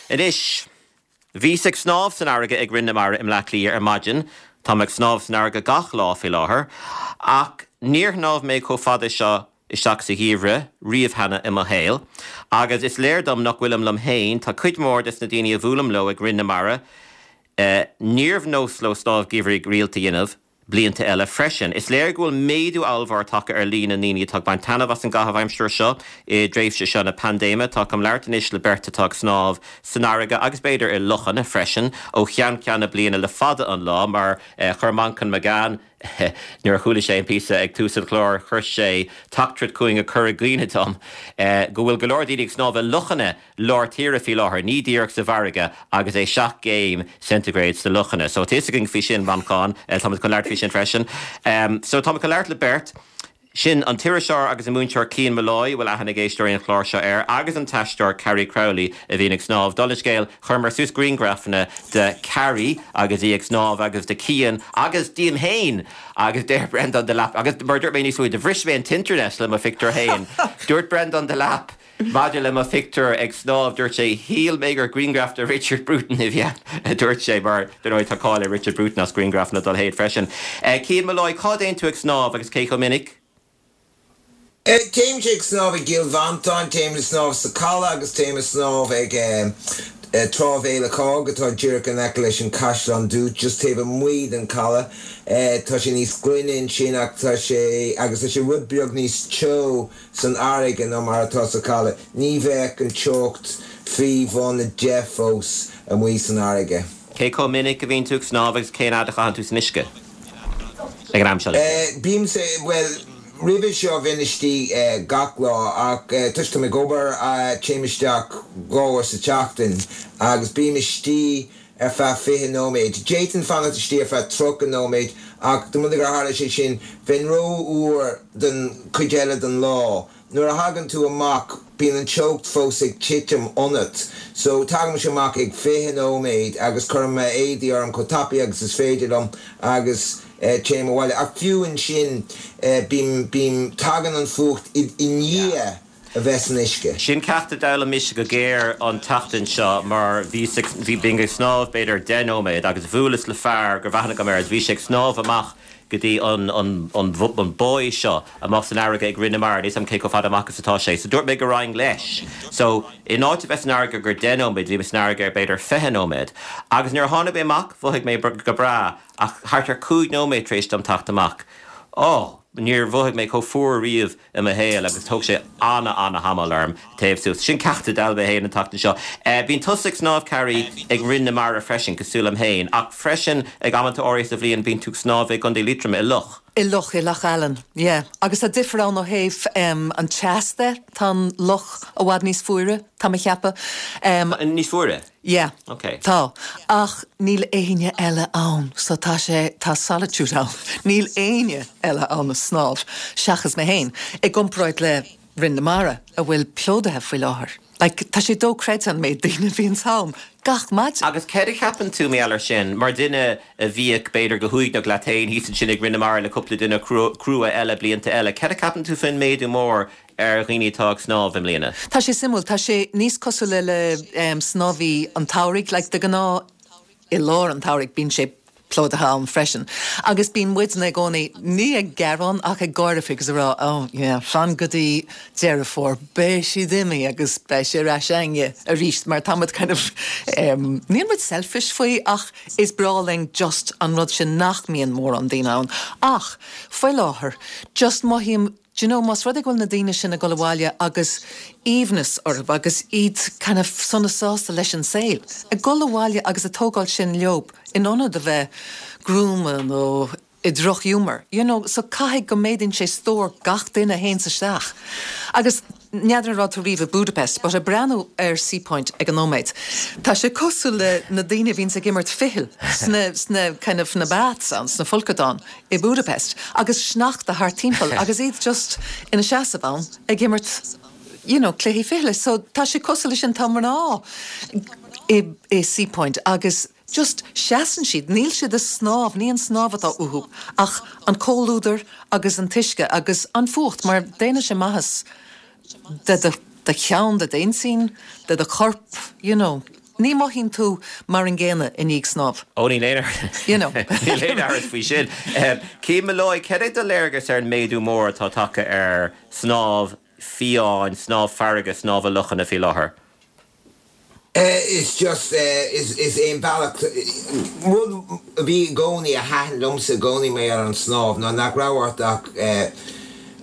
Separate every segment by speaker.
Speaker 1: Anois, bhíos ag snámh san fharraige ag Rinn na Mara i mBleá Cliath ar maidin, táim ag snámh san fharraige gach lá faoi láthair, ach níor shnámh mé chomh fada seo isteach sa gheimhreadh riamh cheana i mo shaol. Agus is léir dom nach bhfuilim liom féin, tá cuid mhór des na daoine a bhuailim leo ag Rinn na Mara, níorbh nós leo snámh geimhridh rialta a dhéanamh, blianta eile freisin. Is léir go bhfuil méadú ollmhór tagtha ar líon na ndaoine atá ag baint taitneamh as an gcaitheamh aimsire seo i dtréimhse seo na paindéime. Tá chun labhairt anois le beirt atá ag snámh san fharraige agus b'fhéidir i lochanna freisin ó cheann ceann na bliana le fada an lá mar chuir Manchán Magan nuair a chuala sé an píosa ag tús an chláir chuir sé teachtaireacht chugainn ag cur i gcuimhne dom go bhfuil go leor daoine ag snámh i lochanna lár tíre faoi láthair, ní díreach sa bhfarraige, agus é 7 gcéim ceintighréad sna lochanna. So tá fhios againn faoi sin, Manchán, táimid chun labhairt faoi sin freisin. So táimid chun labhairt le beirt, sin an t-iriseoir agus an múinteoir Cian Molloy, a bhfuil aithne ag éisteoirí an chláir seo air, agus an t-aisteoir Carrie Crowley, a bhíonn ag snámh. Dála an scéil, chuireamar suas grianghrafanna de Carrie agus í ag snámh agus de Cian agus díom féin agus deir Breandán Delap, agus mar a dúirt mé níos luaithe, do bhris mé an t-internet le mo phictiúr féin, dúirt Breandán Delap, Maidir le mo phictiúr ag snámh, dúirt sé, shíl mé gur grianghraf de Richard Bruton a bhí ann, a dúirt sé, mar, dar ndóigh, tá cáil ar Richard Bruton as grianghrafanna dá leithéid freisin. Cian Molloy, cá dtéann tú ag snámh agus cé chomh minic?
Speaker 2: Téimse ag snámh i gCill Mhantáin, téim ag snámh sa Caladh agus téim ag snámh ag Trá Bhéal a' Chág atá díreach in aice leis an Caisleán Dubh, just taobh amuigh den Caladh. Tá sé níos glaine ansin ach tá sé, agus tá sé rud beag níos teo San fharraige ná mar atá sa chaladh. Ní bheadh an teocht faoi bhun 10 fós amuigh san fharraige.
Speaker 1: Cé chomh minic a bhíonn tú ag snámh agus cén fhad a chaitheann tú san uisce ag an am seo?
Speaker 2: Bímse, bhuel, roimhe seo bheinn istigh gach lá ach toisc táim ag obair téim isteach dhá uair sa tseachtain agus bím istigh ar feadh 20 nóiméad. D'fhéadfainn fanacht istigh ar feadh 30 nóiméad ach dá mba rud é gur tharla sé sin, bheinn rófhuar don chuid eile den lá. Nuair a thagann tú amach, bíonn an teocht fós ag titim ionat. So, tagaimse amach ag 20 nóiméad agus cuirim m'éadaí orm chomh tapaidh agus is féidir liom agus téim abhaile. Ach fiú ansin, bím, bím, tagann an fuacht i ndiaidh. a bheith san uisce.
Speaker 1: Sin ceacht a d'fhoghlaim mise go géar an tseachtain seo mar bhíos ag, bhí, bhínn ag snámh b'fhéidir 10 nóiméad agus bhuaileas le fear go raibh aithne agam air agus bhí sé ag snámh amach go dtí an, an, an, an buoy seo amach san fharraige ag Rinn na Mara, níl 's a'm cé chomh fada amach is atá sé. So dúirt mé go raghainn leis. So in áit a bheith san fharraige gur 10 nóiméad bhí mé san fharraige ar b'fhéidir 20 nóiméad. Agus nuair a tháinig mé amach mhothaigh mé go breá ach thart ar 5 nóiméad tar éis dom teacht amach, oh, níor mhothaigh mé chomh fuar riamh. i mo shaol agus thóg sé ana-ana-thamall orm téamh suas. Sin ceacht a d'fhoghlaim mé féin an tseachtain seo. Bíonn tusa ag snámh, Carrie, ag Rinn na Mara freisin, cosúil liom féin, ach freisin ag amanta áirithe sa bhliain bíonn tú ag snámh i gContae Liatroma i loch.
Speaker 3: I loch, i Loch Allen, yeah. Agus tá difear ann ó thaobh an teas de, tá an loch i bhfad níos fuaire, tá mé a cheapadh.
Speaker 1: Níos fuaire?
Speaker 3: Yeah.
Speaker 1: Ok.
Speaker 3: Tá. Ach níl éinne eile ann so tá sé, tá solitude ann. Níl éinne eile ann ag snámh seachas mé féin, i gcomparáid le Rinn na Mara a bhfuil plódaithe faoi láthair. Like, tá sé dochreidte an méid daoine a bhíonns ann gach maidin.
Speaker 1: Agus céard a cheapann tú, mar gheall air sin, mar duine a bhíodh b'fhéidir go huaigneach leat féin thíos ansin ag Rinn na Mara le cúpla duine crua eile blianta eile, céard a cheapann tú faoin méadú mór ar dhaoine atá ag snámh i mbliana.
Speaker 3: Tá sé suimiúil. Tá sé níos cosúla le snámhaí an tsamhraidh. Like, de ghnáth i lár an tsamhraidh bíonn sé plódaithe ann freisin. Agus bíonn muidne i gcónaí, ní ag gearán ach ag gáire faoi agus ag rá oh yeah, fan go dtí Deireadh Fómhair, beidh siad imithe agus beidh sé ar ais againne arís mar tá muid kind of, níl muid selfish faoi ach is breá linn just an rud sin nach mbíonn mórán daoine ann. Ach faoi láthair, just mothaím Do you know, más rud é go bhfuil na daoine sin ag dul abhaile agus aoibhneas orthu agus iad kind of sona sásta leis an saol, ag dul abhaile agus ag tógáil sin leob in ionad a bheith gruama nó i drochghiúmar, you know, so caithfidh go méadaíonn sé stór gach duine a théanns isteach. Agus n'fheadar an raibh tú riamh i Budapest, but ag breathnú ar Seapoint ag an nóiméad, tá sé cosúil le na daoine a bhíonns ag imirt ficheall sna, sna kind of, na baths ann, sna folcadáin. i Budapest agus sneachta thart timpeall agus iad just ina seasamh ann ag imirt you know cluichí fichille. So tá sé cosúil leis sin, tá mná i i Seapoint agus just seasann siad, níl siad ag snámh, ní an snámh atá uathu ach an comhluadar agus an t-uisce agus an fuacht mar déanann sé maitheas do do cheann, do d'intinn, do do chorp, you know. Ní mothaíonn tú mar an gcéanna i ndiaidh snámh.
Speaker 1: Ó níl aon
Speaker 3: You know.
Speaker 1: Níl aon amhras faoi sin. Cian Molloy, cad é do léargas ar an méadú mór atá tagtha ar snámh fiáin, snámh farraige, snámh i lochanna faoi láthair?
Speaker 2: Is just, is é an bealach, rud a bhí i gcónaí, a thaitin liomsa i gcónaí mar gheall ar an snámh ná nach raibh ort ach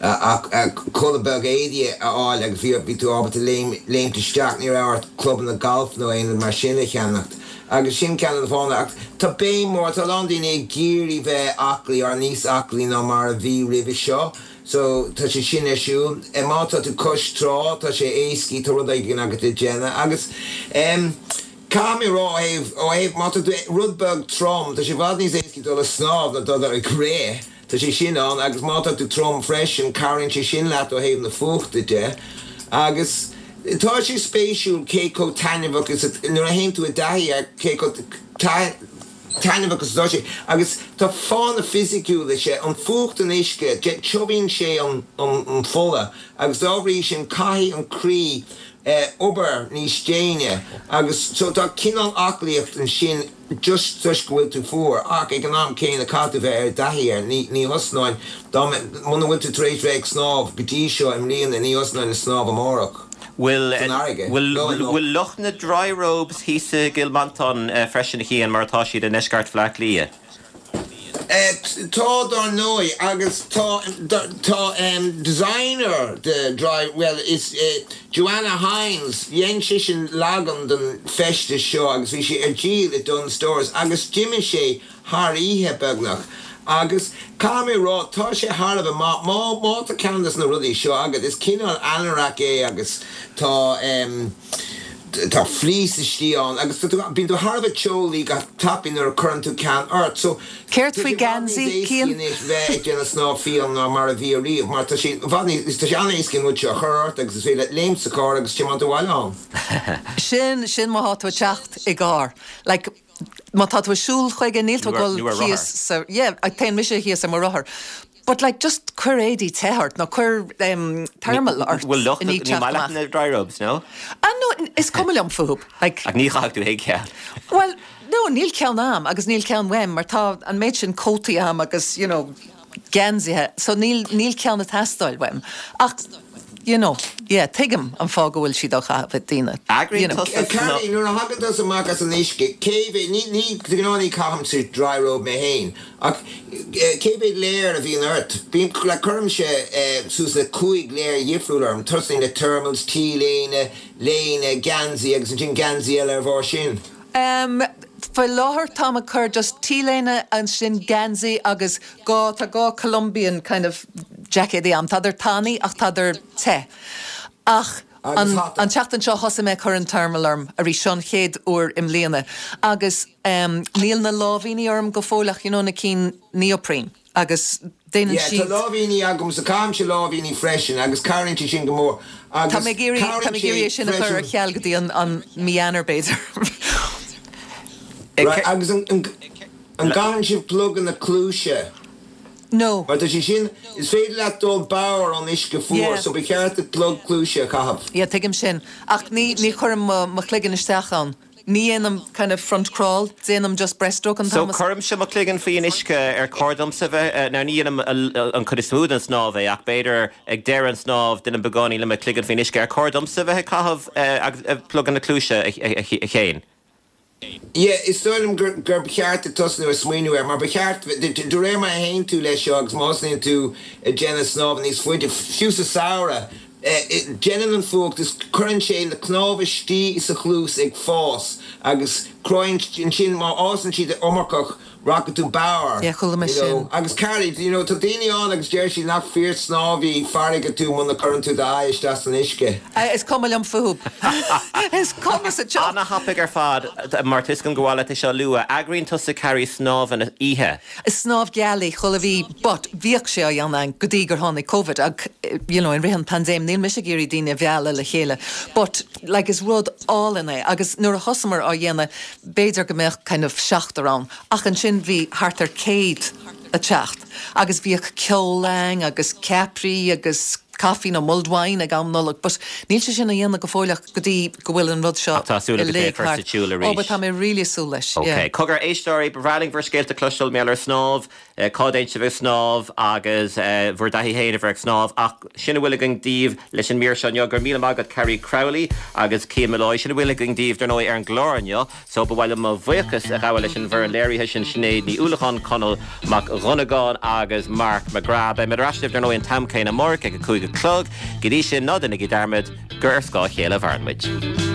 Speaker 2: ach culaith beag éadaí a fháil agus bhí bhí tú ábalta léim léimt isteach, ní raibh ort clubanna gailf nó aon rud mar sin a cheannacht agus sin ceann de na fáthanna ach tá béim mhór, tá a lán daoine ag iarraidh bheith aclaí or níos aclaí ná mar a bhí roimhe seo. So, tá sé sin ar siúl. Má tá tú cois trá, tá sé éascaí, tá rud éigin agat le déanamh. Agus, em, caithfidh mé a rá ó thaobh, ó thaobh, má tá tú rud beag trom, tá sé i bhfad níos éascaí dul ag snámh ná dul ag rith. Tá sé sin ann. Agus má tá tú trom freisin, cabhraíonn sé sin leat ó thaobh na fuachta de. Agus tá sé spéisiúil cé chomh taitneamhach is a, nuair a théann tú i dtaithí air, cé chomh taitneamhach is atá sé. Agus tá fáthanna fisiciúla leis, an fuacht an uisce, tiubhaíonn sé an fola agus dá bhrí sin caithfidh an croí obair níos déine agus so tá cineál aclaíocht ansin just toisc go bhfuil tú fuar ach ag an am céanna caithfidh tú bheith i dtaithí air. Ní ní thosnóinn dá muna bhfuil tú tar éis bheith ag snámh go dtí seo i mbliana ní thosnóinn ag snámh amárach.
Speaker 1: Bhfuil bhfuil lucht na dry robes thíos i gCill Mhantáin freisin, a Chian, mar atá siad i ndeisceart Bhaile Átha Cliath?
Speaker 2: Tá, dár ndóigh, agus tá tá designer de dry, bhuel is Joanna Hynes, dhein sise leagan den feisteas seo agus bhí sé ar díol i Dunnes Stores agus d'imigh sé thar oíche, beagnach. Agus caithfidh mé a rá, tá sé thar a bheith maith. Má, má tá ceann des na rudaí seo agat, is cineál anorak é agus tá em, tá fleece istigh ann agus tá tú, bíonn tú thar a bheith teolaí go tapaidh nuair a cuireann tú ceann ort. So,
Speaker 3: Céard
Speaker 2: tá
Speaker 3: faoi
Speaker 2: sé i bhfad níos
Speaker 3: geansaí,
Speaker 2: éascaí
Speaker 3: Cian?
Speaker 2: anois bheith ag déanamh snámh fiáin ná mar a bhí ariamh mar tá sé i bhfad níos, tá sé an-éascaí an rud seo a chur ort agus is féidir leat léimt sa charr agus tiomáint abhaile ann.
Speaker 3: Sin, sin má thá tú ag teacht i gcarr. Like, Má tá tú ag siúl chuige, níl tú ag dul
Speaker 1: Nó ar
Speaker 3: thíos
Speaker 1: rothar.
Speaker 3: sa, yeah, téann mise thíos ar mo rothar. But like, just cuir éadaí te ort nó cuir em, thermal ort
Speaker 1: Bhfuil lucht,
Speaker 3: i ndiaidh
Speaker 1: ní
Speaker 3: teacht
Speaker 1: maith leat
Speaker 3: amach.
Speaker 1: na dry robes, no?
Speaker 3: Ah no, is cuma liom fúthu. Like,
Speaker 1: Ach ní chaithfeadh tú féin ceann.
Speaker 3: Bhuel, no, níl ceann a'm agus níl ceann uaim mar tá an méid sin cótaí a'm agus, you know, geansaithe, so níl, níl ceann ag teastáil uaim. Ach, you know, yeah, tuigim an fáth go bhfuil siad á chaitheamh ag daoine, you
Speaker 1: Eagraíonn
Speaker 3: know.
Speaker 1: tusa sna.
Speaker 2: Carrie, nuair a thagann tusa amach as an uisce, cé mhéad, ní, ní, de ghnáth ní chaithimse dry robe mé féin, ach cé mhéad layer a bhíonn ort? Bíonn, like, cuirimse suas le 5 layer dhifriúil orm, tosaím le thermals, T-léine, léine, geansaí agus ansin geansaí eile ar bharr sin.
Speaker 3: Em, faoi láthair táim ag cur just T-léine ansin geansaí agus dhá, tá dhá Columbian kind of jaicéadaí a'm, tádar tanaí ach tádar te. Ach
Speaker 2: Agus
Speaker 3: an,
Speaker 2: hata.
Speaker 3: an tseachtain seo thosaigh mé ag cur an thermal orm arís, seo an chéad uair i mbliana agus em níl na láimhíní orm go fóill ach you know na cinn neoprene. agus déanann
Speaker 2: Yeah, tá
Speaker 3: siad.
Speaker 2: láimhíní agamsa, caithimse láimhíní freisin agus cabhraíonn sé sin go mór
Speaker 3: Tá
Speaker 2: agus
Speaker 3: mé ag iarraidh, tá
Speaker 2: cabhraíonn
Speaker 3: mé ag iarraidh
Speaker 2: sé
Speaker 3: é sin a chur ar
Speaker 2: freisin.
Speaker 3: ceal go dtí an, an mí Eanáir b'fhéidir.
Speaker 2: Right, agus an, an, an gcaitheann sibh pluganna cluaise?
Speaker 3: No.
Speaker 2: Mar tá sé sin, is féidir leat dul bodhar ón uisce fuar
Speaker 3: Yeah.
Speaker 2: so ba cheart duit plug cluaise a chaitheamh.
Speaker 3: Yeah, tuigim sin. Ach ní, ní chuirim mo, mo chloigeann isteach ann. Ní dhéanaim kind of front crawl, déanaim just breaststroke an
Speaker 1: So
Speaker 3: t-am is.
Speaker 1: cuirimse mo chloigeann faoi an uisce ar chóir domsa bheith, now ní dhéanaim an chuid is mó den snámh é ach b'fhéidir ag deireadh an snámh déanaim beagáinín le mo chloigeann faoin uisce, ar chóir domsa bheith ag caitheamh pluganna cluaise a Chéin?
Speaker 2: Yeah, is dóigh liom gur gur cheart duit tosnú ag smaoineamh air mar ba cheart, de réir mar a théann tú leis seo agus má thosnaíonn tú ag déanamh snámha níos faide, fiú sa samhradh, Déanann an fuacht is cuireann sé na cnámha istigh sa chluas ag fás agus cruthaíonn ansin má fhásann siad iomarcach rachaidh tú bodhar
Speaker 3: Yeah, chuala mé
Speaker 2: you know
Speaker 3: sin.
Speaker 2: agus Carrie you know tá daoine ann agus deir siad nach fíor snámhaí farraige tú muna cuireann tú d'aghaidh isteach san uisce.
Speaker 3: Is cuma liom fúthu. Is cuma sa tsioc.
Speaker 1: Ana-thapaidh ar fad, mar tá 'fhios agam gur mhaith leat é seo a lua. Eagraíonn tusa Carrie snámhanna oíche.
Speaker 3: Snámh gealaí chuile mhí but bhíodh sé á dhéanamh againn go dtí gur tháinig Covid ach you know i rith an paindéim níl mise ag iarraidh daoine a mhealladh le chéile but like is rud álainn é agus nuair a thosamar á dhéanamh b'fhéidir go mbeadh kind of seachtar ann ach ansin bhí thart ar 100 ag teacht agus bhíodh ceol againn agus ceapairí agus. caife nó mulled wine ag am Nollag but níl sé sin á dhéanamh go fóill ach go dtí go bhfuil an rud seo
Speaker 1: Ach tá súil agat é a
Speaker 3: uilig
Speaker 1: chur sa
Speaker 3: thart.
Speaker 1: tsiúl arís.
Speaker 3: Oh but tá mé really ag súil leis, yeah.
Speaker 1: Ok. Cogar, éisteoirí, ba bhreá linn bhur scéalta a chloisteáil mar gheall ar snámh, cá dtéann sibh ag snámh agus bhur dtaithí féin a bheith ag snámh ach sin a bhfuil againn daoibh leis an mír seo inniu. Go raibh míle maith agat Carrie Crowley agus Cian Molloy. Sin a bhfuil againn daoibh dar ndóigh ar an gclár inniu. So ba mhaith liom mo bhuíochas a ghabháil leis an bhfoireann léirithe sin, Sinéad Ní Uallacháin, Conall Mac Dhonnagáin agus Mark McGrath. Beidh muid ar ais libh dar ndóigh an t-am céanna amárach ag a 5 a chlog. Go dtí sin, ná déanaigí dearmad gur ar scáth a chéile a mhaireann muid.